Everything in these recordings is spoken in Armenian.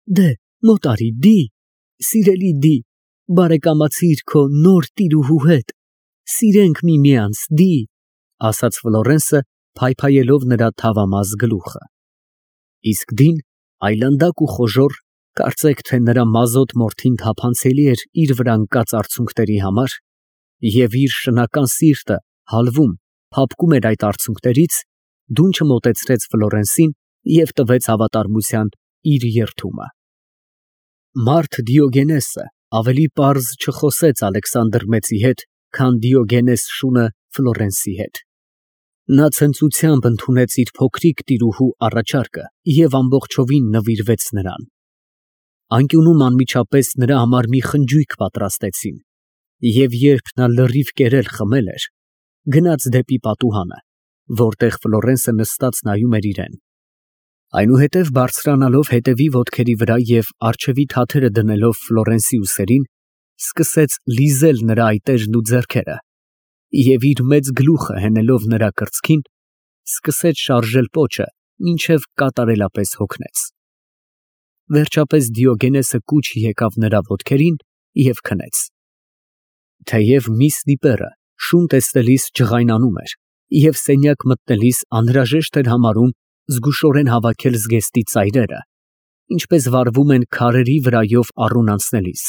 Դե, մոտարի, դի, սիրելի դի, բարեկամացիր քո նոր տիրուհու հետ, սիրենք միմյանց, դի, ասաց Ֆլորենսը, փայփայելով նրա թավամաս գլուխը։ Իսկ դին, այլանդակ ու խոժոռ, կարծեք թե նրա մազոտ մորթին թափանցելի էր իր վրա ընկած արցունքների համար, և իր շնական սիրտը հալվում, փափկում էր այդ արցունքներից, դունչը մոտեցրեց Ֆլորենսին և տվեց հավատարմության իր երդումը։ Մարդ Դիոգենեսը ավելի պարզ չխոսեց Ալեքսանդր Մեծի հետ, քան Դիոգենես շունը Ֆլորենսի հետ։ Նա ցնծությամբ ընդունեց իր փոքրիկ տիրուհու առաջարկը և ամբողջովին նվիրվեց նրան։ Անկյունում անմիջապես նրա համար մի խնջույք պատրաստեցին, և երբ նա լրիվ կերել խմել էր, գնաց դեպի պատուհանը, որտեղ Ֆլորենսը նստած նայում էր իրան։ Այնուհետև բարձրանալով հետևի ոտքերի վրա և առջևի թաթերը դնելով Ֆլորենսի ուսերին, սկսեց լիզել նրա այտերն ու ձեռքերը և իր մեծ գլուխը հենելով նրա կրծքին, սկսեց շարժել պոչը, մինչև կատարելապես հոգնեց։ Վերջապես Դիոգենեսը կուչ եկավ նրա ոտքերին և քնեց։ Թեև միս Դիպերը շուն տեսնելիս ջղայնանում էր և սենյակ մտնելիս անհրաժեշտ էր համարում զգուշորեն հավաքել զգեստի ծայրերը, ինչպես վարվում են քարերի վրայով առուն անցնելիս,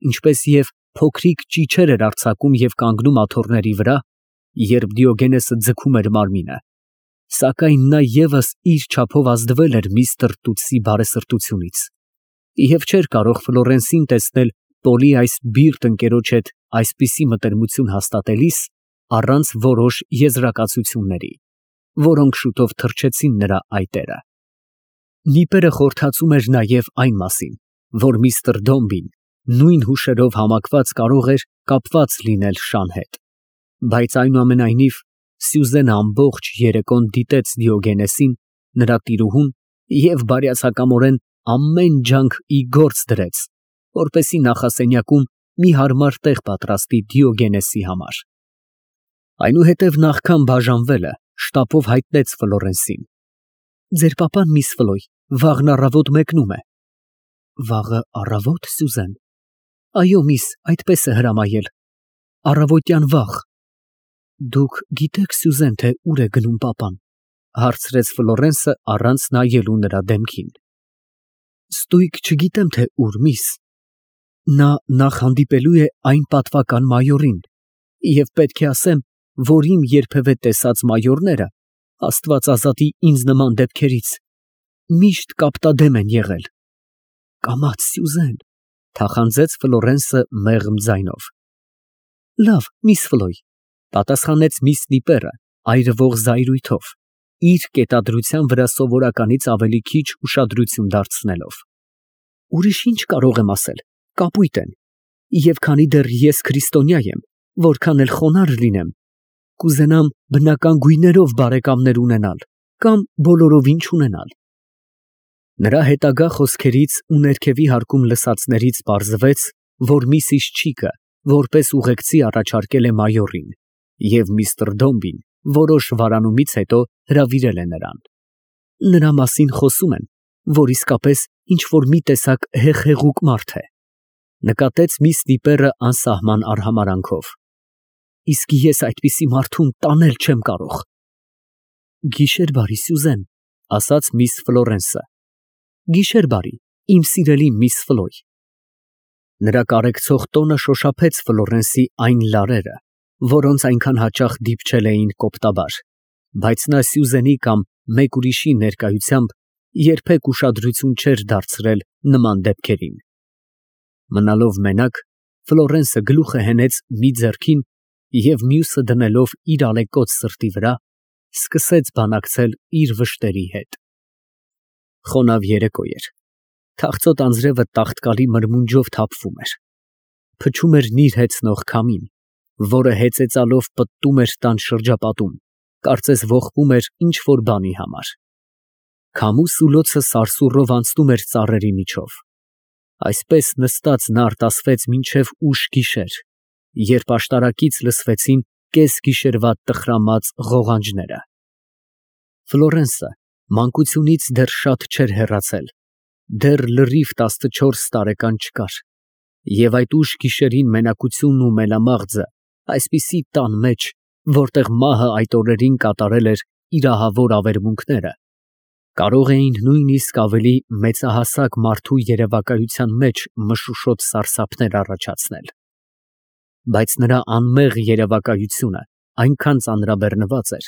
ինչպես և փոքրիկ ճիչեր էր արձակում և կանգնում աթոռների վրա, երբ Դիոգենեսը ձգում էր մարմինը, սակայն նա ևս իր չափով ազդվել էր միստր Տուտսի բարեսրտությունից և չէր կարող Ֆլորենսին տեսնել Պոլի այս բիրտ ընկերոջ հետ այսպիսի մտերմություն հաստատելիս առանց որոշ եզրակացությունների, որոնք շուտով թրջեցին նրա այտերը։ Դիպերը խորհրդածում էր նաև այն մասին, որ միստր Դոմբին նույն հուշերով համակված կարող էր կապված լինել շան հետ, բայց այնուամենայնիվ Սյուզենը ամբողջ երեկոն դիտեց Դիոգենեսին, նրա տիրուհուն, և բարյացակամորեն ամեն ջանք ի գործ դրեց, որպեսզի նախասենյակում մի հարմար տեղ պատրաստի Դիոգենեսի համար։ Այնուհետև նախքան բաժանվելը շտապով հայտնեց Ֆլորենսին. «Ձեր պապան, միս Ֆլոյ, վաղն առավոտ մեկնում է»։ «Վաղը առավո՞տ, Սյուզեն»։ «Այո, միս, այդպես է հրամայել, առավոտյան վաղ»։ «Դուք գիտեք, Սյուզեն, թե ուր է գնում պապան»։ Հարցրեց Ֆլորենսը առանց նայելու նրա դեմքին։ «Ստույգ չգիտեմ, թե ուր, միս։ Նա նախ հանդիպելու է այն պատվական մայորին, և պետք է ասեմ, որ իմ երբևէ տեսած մայորները, Աստված ազատի ինձ նման դեպքերից, միշտ կապտադեմ են եղել»։ «Կամաց, Սյուզեն», թախանձեց Ֆլորենսը մեղմ ձայնով։ «Լավ, միս Ֆլոյ», պատասխանեց միս Դիպերը այրվող զայրույթով, իր կետադրության վրա սովորականից ավելի քիչ ուշադրություն դարձնելով։ «Ուրիշ ինչ կարող եմ ասել, կապույտ են, և քանի դեռ ես քրիստոնյա եմ, որքան էլ խոնարհ լինեմ, կուզենամ բնական գույներով բարեկամներ ունենալ կամ բոլորովին չունենալ»։ Նրա հետագա խոսքերից ու ներքևի հարկում լսածներից պարզվեց, որ միսիս Չիկը որպես ուղեկցի առաջարկել է մայորին, և միստր Դոմբին որոշ վարանումից հետո հրավիրել է նրան։ Նրա մասին խոսում են, որ իսկապես ինչ֊որ մի տեսակ հեղեղուկ մարդ է, նկատեց միս Դիպերը անսահման արհամարհանքով։ «Իսկ ես այդպիսի մարդուն տանել չեմ կարող»։ «Գիշեր բարի, Սյուզեն», ասաց միս Ֆլորենսը։ «Գիշեր բարի, իմ սիրելի միս Ֆլոյ»։ Նրա կարեկցող տոնը շոշափեց Ֆլորենսի այն լարերը, որոնց այնքան հաճախ դիպչել էին կոպտաբար, բայց նա Սյուզենի կամ մեկ ուրիշի ներկայությամբ երբեք ուշադրություն չէր դարձրել նման դեպքերին։ Մնալով մենակ, Ֆլորենսը գլուխը հենեց մի ձեռքին և մյուսը դնելով իր ալեկոծ սրտի վրա, սկսեց բանակցել իր վշտերի հետ։ Խոնավ երեկո էր, թախծոտ անձրևը տաղտկալի մրմունջով թափվում էր, փչում էր նիրհեցնող քամին, որը հեծեծալով պտտում էր տան շրջապատում, կարծես ողբում էր ինչ֊որ բանի համար։ Քամու սուլոցը սարսուռով անցնում էր ծառերի միջով։ Այսպես նստած նա արտասվեց մինչև ուշ գիշեր, երբ աշտարակից լսվեցին կեսգիշերվա տխրամած ղողանջները։ Ֆլորենսը մանկությունից դեռ շատ չէր հեռացել, Դեռ լրիվ 14 տարեկան չկար, և այդ ուշ գիշերին մենակությունն ու մելամաղձը այսպիսի տան մեջ, որտեղ մահը այդ օրերին կատարել էր իր ահավոր ավերմունքները, կարող էին նույնիսկ ավելի մեծահասակ մարդու երևակայության մեջ մշուշոտ սարսափներ առաջացնել. բայց նրա անմեղ երևակայությունը այնքան ծանրաբեռնված էր,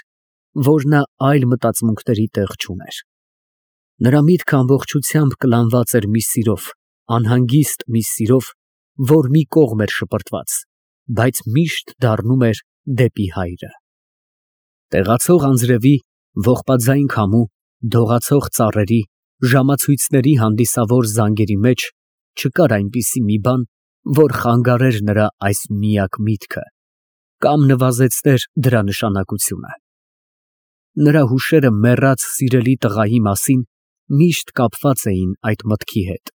որ նա այլ մտածմունքների տեղ չուներ։ Նրա միտքը ամբողջությամբ կլանված էր մի սիրով, անհանգիստ մի սիրով, որ մի կողմ էր շպրտված, բայց միշտ դառնում էր դեպի հայրը։ Տեղացող անձրևի, ողբաձայն քամու, դողացող ծառերի, ժամացույցների հանդիսավոր զանգերի մեջ չկար այնպիսի մի բան, որ խանգարեր նրա այս միակ միտքը կամ նվազեցներ դրա նշանակությունը։ Նրա հուշերը մեռած սիրելի տղայի մասին միշտ կապված էին այդ մտքի հետ։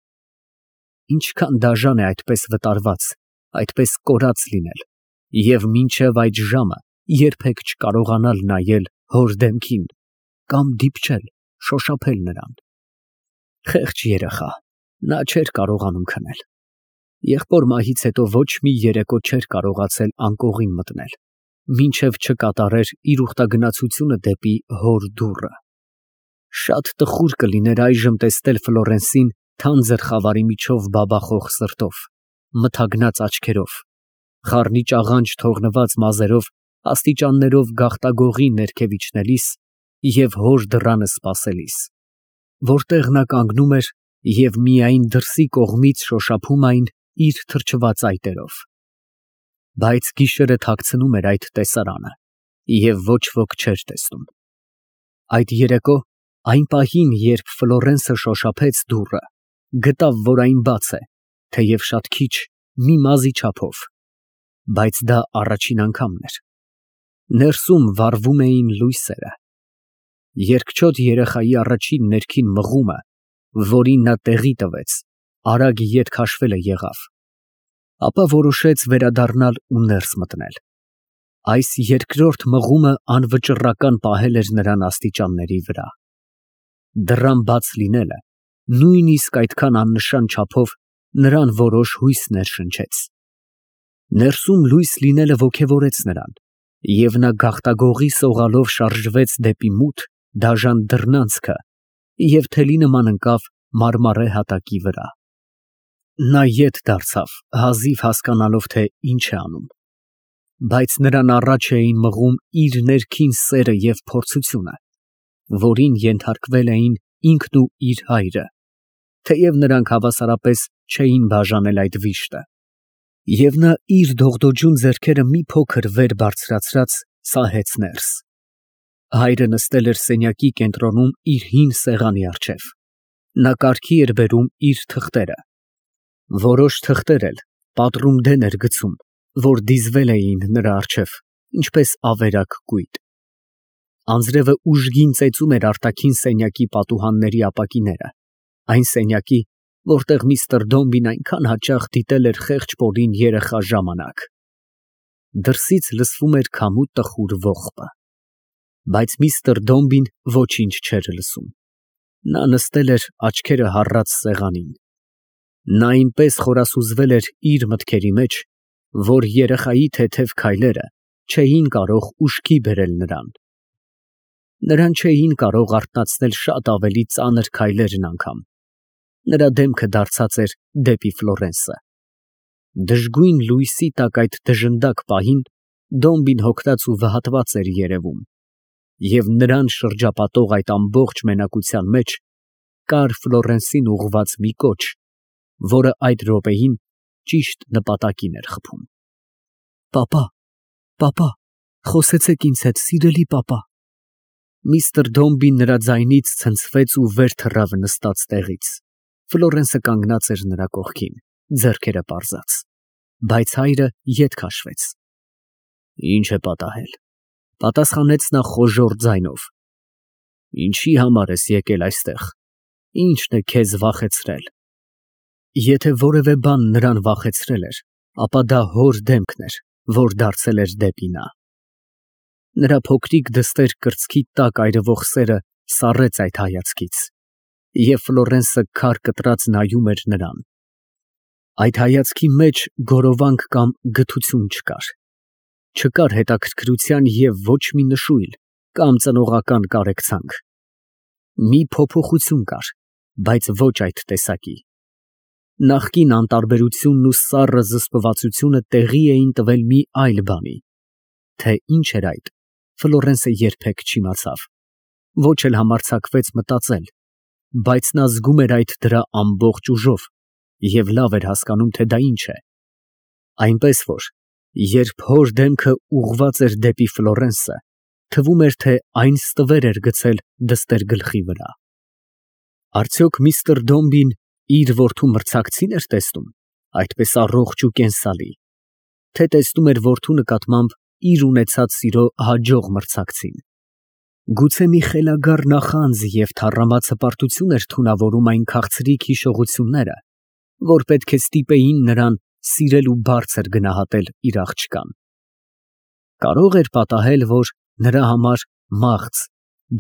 Ինչքան դաժան է այդպես վտարված, այդպես կորած լինել և մինչև այդ ժամը երբեք չկարողանալ նայել հոր դեմքին կամ դիպչել, շոշափել նրան։ Խեղճ երեխա, նա չէր կարողանում քնել։ Եղբոր մահից հետո ոչ մի երեկո չէր կարողացել անկողին մտնել, մինչև չկատարեր իր ուխտագնացությունը դեպի հոր դուռը։ Շատ տխուր կլիներ այժմ տեսնել Ֆլորենսին թանձր խավարի միջով բաբախող սրտով, մթագնած աչքերով, խառնիճ աղանջ թողնված մազերով աստիճաններով գաղտագողի ներքև իջնելիս և հոր դռանը սպասելիս, որտեղ նա կանգնում էր և միայն դրսի կողմից շոշափում այն իր թրջված այտերով։ Բայց գիշերը թաքցնում էր այդ տեսարանը, և ոչ ոք չէր տեսնում։ Այդ երեկո, այն պահին, երբ Ֆլորենսը շոշափեց դուռը, գտավ, որ այն բաց է, թեև շատ քիչ, մի մազի չափով, բայց դա առաջին անգամն էր։ Ներսում վառվում էին լույսերը։ Երկչոտ երեխայի առաջին ներքին մղումը, որին նա տեղի տվեց, արագ ետ քաշվելը եղավ, ապա որոշեց վերադառնալ ու ներս մտնել։ Այս երկրորդ մղումը անվճռական պահել էր նրան աստիճանների վրա։ Դռան բաց լինելը նույնիսկ այդքան աննշան չափով նրան որոշ հույս ներշնչեց։ Ներսում լույս լինելը ոգևորեց նրան, և նա գաղտագողի սողալով շարժվեց դեպի մութ, դաժան դռնանցքը և թելի նման ընկավ մարմարե հատակի վրա։ Նա ետ դարձավ, հազիվ հասկանալով, թե ինչ է անում, բայց նրան առաջ էին մղում իր ներքին սերը և փորձությունը, որին ենթարկվել էին ինքն ու իր հայրը, թեև նրանք հավասարապես չէին բաժանել այդ վիշտը, և նա իր դողդոջուն ձեռքերը մի փոքր վեր բարձրացրած սահեց ներս։ Հայրը նստել էր սենյակի կենտրոնում իր հին սեղանի առջև։ Նա կարգի էր բերում իր թղթերը։ Որոշ թղթեր էլ պատրում դեն էր գցում, որ դիզվել էին նրա առջև, ինչպես ավերակ կույտ։ Անձրևը ուժգին ծեծում էր արտաքին սենյակի պատուհանների ապակիները, այն սենյակի, որտեղ միստր Դոմբին այնքան հաճախ դիտել էր խեղճ պորին երեխա ժամանակ։ Դրսից լսվում էր քամու տխուր ողբը, բայց միստր Դոմբին ոչինչ չէր լսում։ Նա նստել էր աչքերը հառած սեղանին։ Նա այնպես խորասուզվել էր իր մտքերի մեջ, որ երեխայի թեթև քայլերը չէին կարող ուշքի բերել նրան։ Նրան չէին կարող արթնացնել շատ ավելի ծանր քայլերն անգամ։ Նրա դեմքը դարձած էր դեպի Ֆլորենսը։ Դժգույն լույսի տակ այդ դժնդակ պահին Դոմբին հոգնած ու վհատված էր երևում, և նրան շրջապատող այդ ամբողջ մենակության մեջ կար Ֆլորենսին ուղղված մի կոչ, որը այդ րոպեին ճիշտ նպատակին էր խփում։ Պապա, խոսեցեք ինձ հետ, սիրելի պապա։ Միստր Դոմբին նրա ձայնից ցնցվեց ու վեր թռավ նստած տեղից։ Ֆլորենսը կանգնած էր նրա կողքին, ձեռքերը պարզած, բայց հայրը ետ քաշվեց։ Ինչ է պատահել, պատասխանեց նա խոժոռ ձայնով։ Ինչի համար ես եկել այստեղ, ինչն է քեզ վախեցրել։ Եթե որևէ բան նրան վախեցրել էր, ապա դա հոր դեմքն էր, որ դարձել էր դեպի նա։ Նրա փոքրիկ դստեր կրծքի տակ այրվող սերը սառեց այդ հայացքից, Եվ Ֆլորենսը քար կտրած նայում էր նրան։ Այդ հայացքի մեջ գորովանք կամ գթություն չկար։ Չկար հետաքրքրության և ոչ մի նշույլ կամ ծնողական կարեկցանք։ Մի փոփոխություն կար, բայց ոչ այդ տեսակի։ Նախկին անտարբերությունն ու սառը զսպվածությունը տեղի էին տվել մի այլ բանի։ Թե ինչ էր այդ, Ֆլորենսը երբեք չիմացավ, ոչ էլ համարձակվեց մտածել, բայց նա զգում էր այդ դրա ամբողջ ուժով և լավ էր հասկանում, թե դա ինչ է։ Այնպես որ, երբ հոր դեմքը ուղղված էր դեպի Ֆլորենսը, թվում էր, թե այն ստվեր էր գցել դստեր գլխի վրա։ Արդյոք միստր Դոմբին իր որդու մրցակցի՞ն էր տեսնում, այդպես առողջ ու կենսալի, թե տեսնում էր որդու նկատմամբ իր ունեցած սիրո հաջող մրցակցին։ Գուցե մի խելագար նախանձ և թառամած հպարտություն էր թունավորում այն քաղցրիկ հիշողությունները, որ պետք է ստիպեին նրան սիրել ու բարձր գնահատել իր աղջկան։ Կարող էր պատահել, որ նրա համար մաղձ,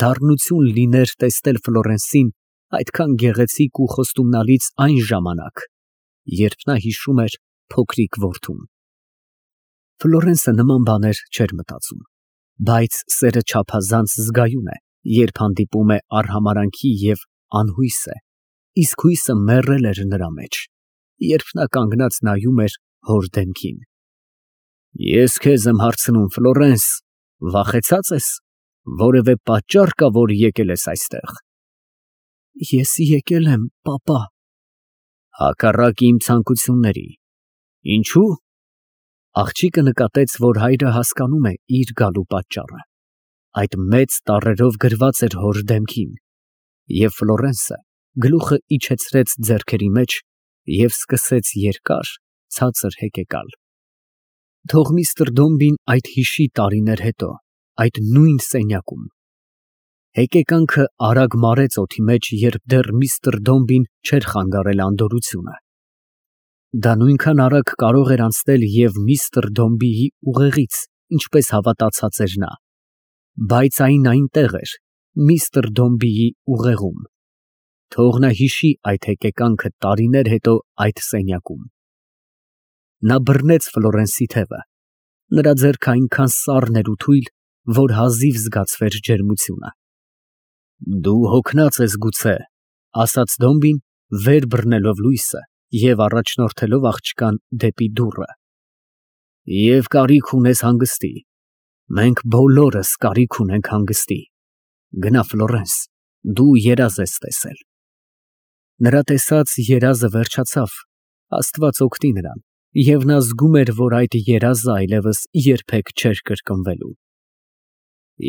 դառնություն լիներ տեսնել Ֆլորենսին այդքան գեղեցիկ ու խոստումնալից այն ժամանակ, երբ նա հիշում էր փոքրիկ որդուն։ Ֆլորենսը նման բաներ չէր մտածում, բայց սերը չափազանց զգայուն է, երբ հանդիպում է արհամարհանքի և անհույս է, իսկ հույսը մեռել էր նրա մեջ, երբ նա կանգնած նայում էր հոր դեմքին։ Ես քեզ եմ հարցնում, Ֆլորենս, վախեցած ես, որևէ պատճառ կա, որ եկել ես այստեղ։ Ես եկել եմ, պապա։ Հակառակ իմ ցանկությունների։ Ինչու՞։ Աղջիկը նկատեց, որ հայրը հասկանում է իր գալու պատճառը։ Այդ մեծ տառերով գրված էր հոր դեմքին, և Ֆլորենսը գլուխը իջեցրեց ձեռքերի մեջ և սկսեց երկար, ցածր հեկեկալ։ Թող միստր Դոմբին այդ հիշի տարիներ հետո, այդ նույն սենյակում։ Հեկեկանքը արագ մարեց օդի մեջ, երբ դեռ միստր Դոմբին չէր խանգարել անդորրությունը։ Դա նույնքան արագ կարող էր անցնել և միստր Դոմբիի ուղեղից, ինչպես հավատացած էր նա, բայց այն այնտեղ էր, միստր Դոմբիի ուղեղում։ Թող նա հիշի այդ հեկեկանքը տարիներ հետո այդ սենյակում։ Նա բռնեց Ֆլորենսի թևը, նրա ձեռքը այնքան սառն էր ու թույլ, որ հազիվ զգացվեր ջերմությունը։ Դու հոգնած ես գուցե, ասաց Դոմբին, վեր բռնելով լույսը և առաջնորդելով աղջկան դեպի դուռը։ Եվ կարիք ունես հանգստի։ Մենք բոլորս կարիք ունենք հանգստի։ Գնա, Ֆլորենս, դու երազ ես տեսել։ Նրա տեսած երազը վերջացավ, Աստված օգնի նրան, և նա զգում էր, որ այդ երազը այլևս երբեք չէր կրկնվելու։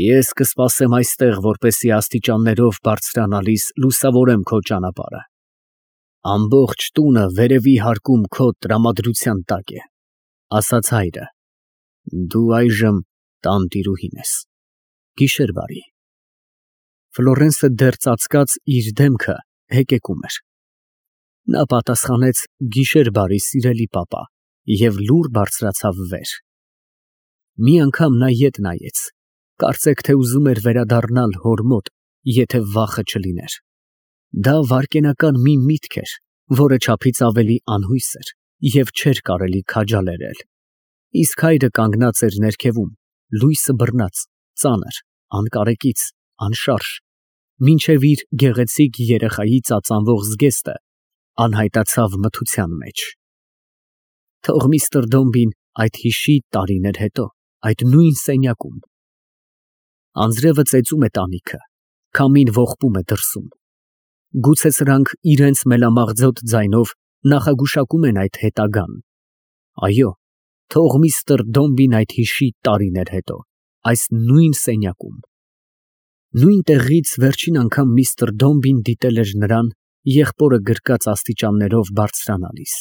Ես կսպասեմ այստեղ, որպեսզի աստիճաններով բարձրանալիս լուսավորեմ քո ճանապարհը։ Ամբողջ տունը վերևի հարկում քո տրամադրության տակ է, ասաց հայրը։ Դու այժմ տանտիրուհին ես։ Գիշեր բարի։ Ֆլորենսը դեռ ծածկած իր դեմքը հեկեկում էր։ Նա պատասխանեց գիշեր բարի, սիրելի պապա, և լուռ բարձրացավ վեր։ Մի անգամ նա ետ նայեց, կարծեք թե ուզում էր վերադառնալ հոր մոտ, եթե վախը չլիներ։ Դա վայրկենական մի միտք էր, որը չափից ավելի անհույս էր և չէր կարելի քաջալերել։ Իսկ հայրը կանգնած էր ներքևում, լույսը բռնած, ծանր, անկարեկից, անշարժ, մինչև իր գեղեցիկ երեխայի ծածանվող զգեստը անհայտացավ մթության մեջ։ Թող միստր Դոմբին այդ հիշի տարիներ հետո, այդ նույն սենյակում։ Անձրևը ծեծում է տանիքը, քամին ողբում է դրսում։ Գուցե սրանք իրենց մելամաղձոտ ձայնով նախագուշակում են այդ հետագան։ Այո, թող միստր Դոմբին այդ հիշի տարիներ հետո, այս նույն սենյակում։ Նույն տեղից վերջին անգամ միստր Դոմբին դիտել էր նրան, եղբորը գրկած աստիճաններով բարձրանալիս։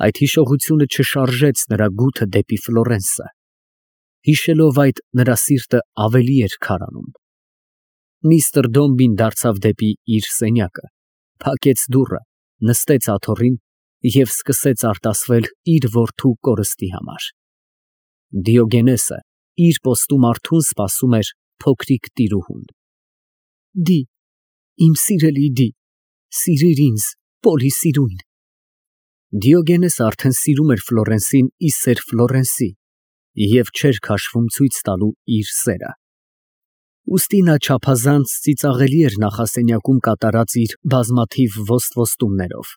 Այդ հիշողությունը չշարժեց նրա գութը դեպի Ֆլորենսը։ Հիշելով այդ, նրա սիրտը ավելի էր քարանում։ Միստր Դոմբին դարձավ դեպի իր սենյակը, փակեց դուռը, նստեց աթոռին և սկսեց արտասվել իր որդու կորստի համար։ Դիոգենեսը իր պոստում արթուն սպասում էր փոքրիկ տիրուհուն։ Իմ սիրելի դի, սիրիր ինձ, Պոլի սիրուն։ Դիոգենեսը արդեն սիրում էր Ֆլորենսին ի սեր Ֆլորենսի և չէր քաշվում ցույց տալու իր սերը։ Ուստի նա չափազանց ծիծաղելի էր նախասենյակում կատարած իր բազմաթիվ ոստվոստումներով։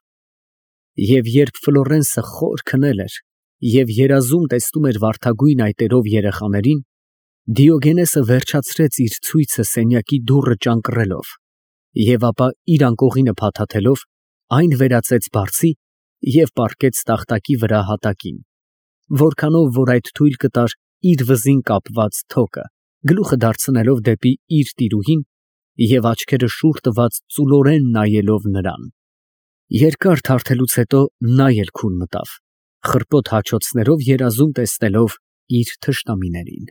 Եվ երբ Ֆլորենսը խոր քնել էր և երազում տեսնում էր վարդագույն այտերով երեխաներին, Դիոգենեսը վերջացրեց իր ցույցը սենյակի դուռը ճանկռելով և ապա իր անկողինը փաթաթելով այն վերածեց բարձի և պառկեց տախտակի վրա հատակին, որքանով որ այդ թույլ կտար իր վզին կապված թոկը, գլուխը դարձնելով դեպի իր տիրուհին և աչքերը շուռ տված ծուլորեն նայելով նրան։ Երկար թարթելուց հետո նա էլ քուն մտավ, խռպոտ հաչոցներով երազում տեսնելով իր թշնամիներին։